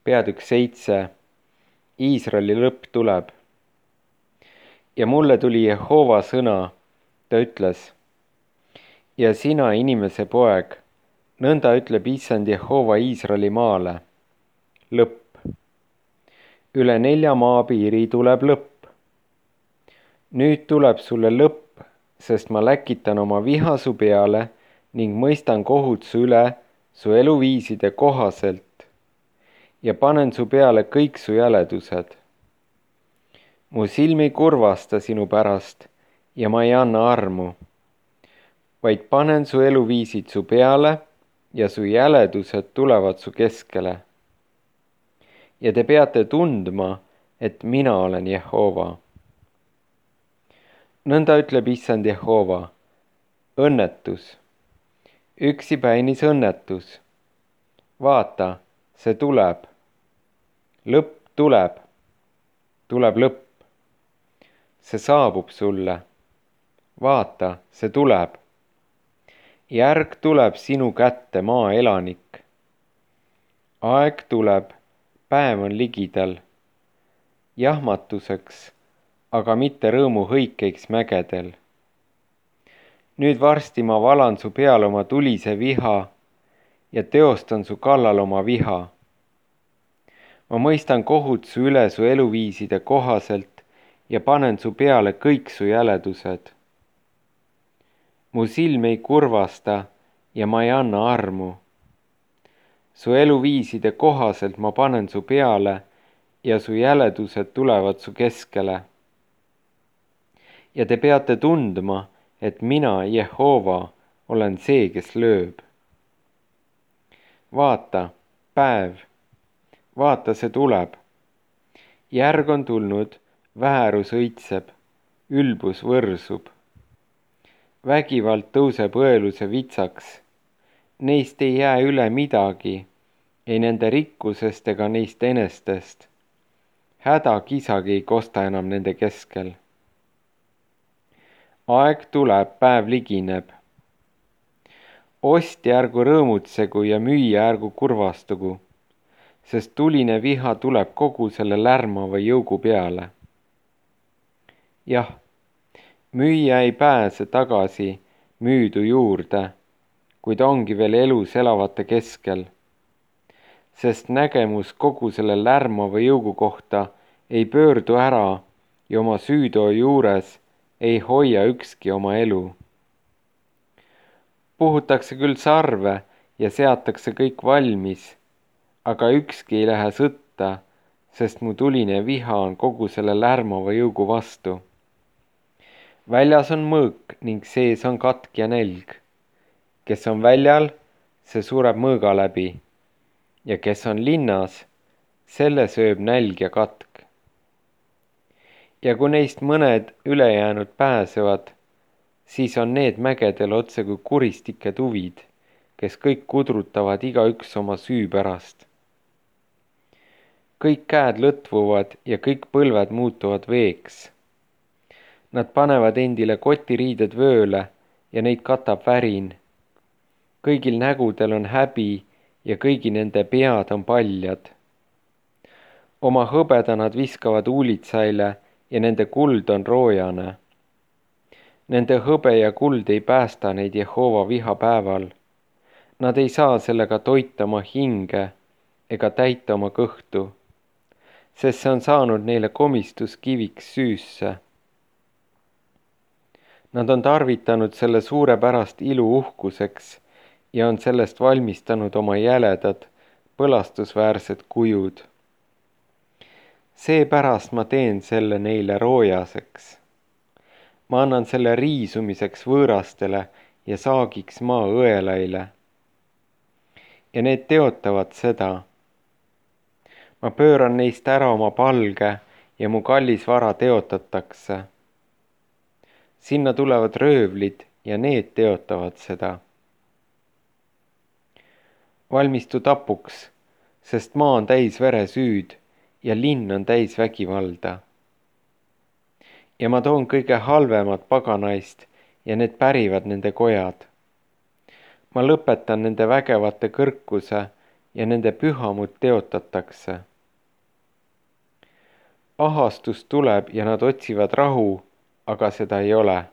peatükk 7. Iisraeli lõpp tuleb. Ja mulle tuli Jehova sõna, ta ütles: ja sina, inimese poeg, nõnda ütleb Issand Jehova Iisraeli maale: lõpp. Üle 4 maapiiri tuleb lõpp. Nüüd tuleb sulle lõpp, sest ma läkitan oma viha su peale ning mõistan kohut su üle su eluviiside kohaselt ja panen su peale kõik su jäledused. Mu silm ei kurvasta sinu pärast ja ma ei anna armu, vaid panen su eluviisid su peale ja su jäledused tulevad su keskele. Ja te peate tundma, et mina olen Jehova. Nõnda ütleb Issand Jehova: õnnetus, üksipäinis õnnetus. Vaata, see tuleb. Lõpp tuleb. Tuleb lõpp. See saabub sulle. Vaata, see tuleb. Järg tuleb sinu kätte, maa elanik. Aeg tuleb, päev on ligidal. Jahmatuseks, aga mitte rõõmuhõikeiks mägedel. Nüüd varsti ma valan su peale oma tulise viha ja teostan su kallal oma viha. Ma mõistan kohut su üle su eluviiside kohaselt ja panen su peale kõik su jäledused. Mu silm ei kurvasta ja ma ei anna armu. Su eluviiside kohaselt ma panen su peale ja su jäledused tulevad su keskele. Ja te peate tundma, et mina, Jehova, olen see, kes lööb. Vaata, päev, vaata, see tuleb. Järg on tulnud, väärus õitseb, ülbus võrsub. Vägivald tõuseb õeluse vitsaks. Neist ei jää üle midagi, ei nende rikkusest ega neist enestest. Häda kisagi ei kosta enam nende keskel. Aeg tuleb, päev ligineb. Ostja ärgu rõõmutsegu ja müüja ärgu kurvastugu, sest tuline viha tuleb kogu selle lärmava jõugu peale. Jah, müüja ei pääse tagasi müüdu juurde, kuid ongi veel elus elavate keskel, sest nägemus kogu selle lärmava jõugu kohta ei pöördu ära ja oma süütoo juures ei hoia ükski oma elu. Puhutakse küll sarve ja seatakse kõik valmis, aga ükski ei lähe sõtta, sest mu tuline viha on kogu selle lärmava jõugu vastu. Väljas on mõõk ning sees on katk ja nälg. Kes on väljal, see sureb mõõga läbi, ja kes on linnas, selle sööb nälg ja katk. Ja kui neist mõned ülejäänud pääsevad, siis on need mägedel otse kui kuristike tuvid, kes kõik kudrutavad igaüks oma süü pärast. Kõik käed lõtvuvad ja kõik põlved muutuvad veeks. Nad panevad endile kotiriided vööle ja neid katab värin. Kõigil nägudel on häbi ja kõigi nende pead on paljad. Oma hõbeda nad viskavad uulitsaile ja nende kuld on roojane. Nende hõbe ja kuld ei päästa neid Jehova vihapäeval. Nad ei saa sellega toita oma hinge ega täita oma kõhtu, sest see on saanud neile komistuskiviks süüsse. Nad on tarvitanud selle suurepärast ilu uhkuseks ja on sellest valmistanud oma jäledad, põlastusväärsed kujud. Seepärast ma teen selle neile roojaseks. Ma annan selle riisumiseks võõrastele ja saagiks maa õelaile. Ja need teotavad seda. Ma pööran neist ära oma palge ja mu kallis vara teotatakse. Sinna tulevad röövlid ja need teotavad seda. Valmistu tapuks, sest maa on täis veresüüd ja linn on täis vägivalda. Ja ma toon kõige halvemad paganaist ja need pärivad nende kojad. Ma lõpetan nende vägevate kõrkuse ja nende pühamud teotatakse. Ahastus tuleb ja nad otsivad rahu, aga seda ei ole.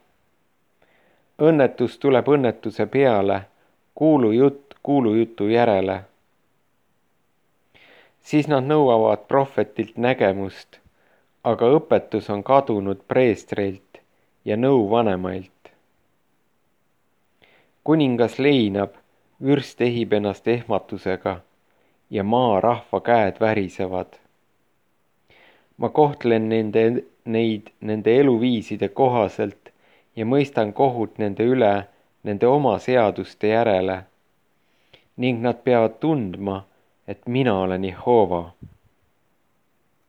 Õnnetus tuleb õnnetuse peale, kuulujutt kuulujutu järele. Siis nad nõuavad prohvetilt nägemust, aga õpetus on kadunud preestreilt ja nõu vanemailt. Kuningas leinab, vürst ehib ennast ehmatusega ja maarahva käed värisevad. Ma kohtlen neid nende eluviiside kohaselt ja mõistan kohut nende üle nende oma seaduste järele ning nad peavad tundma, et mina olen Jehova.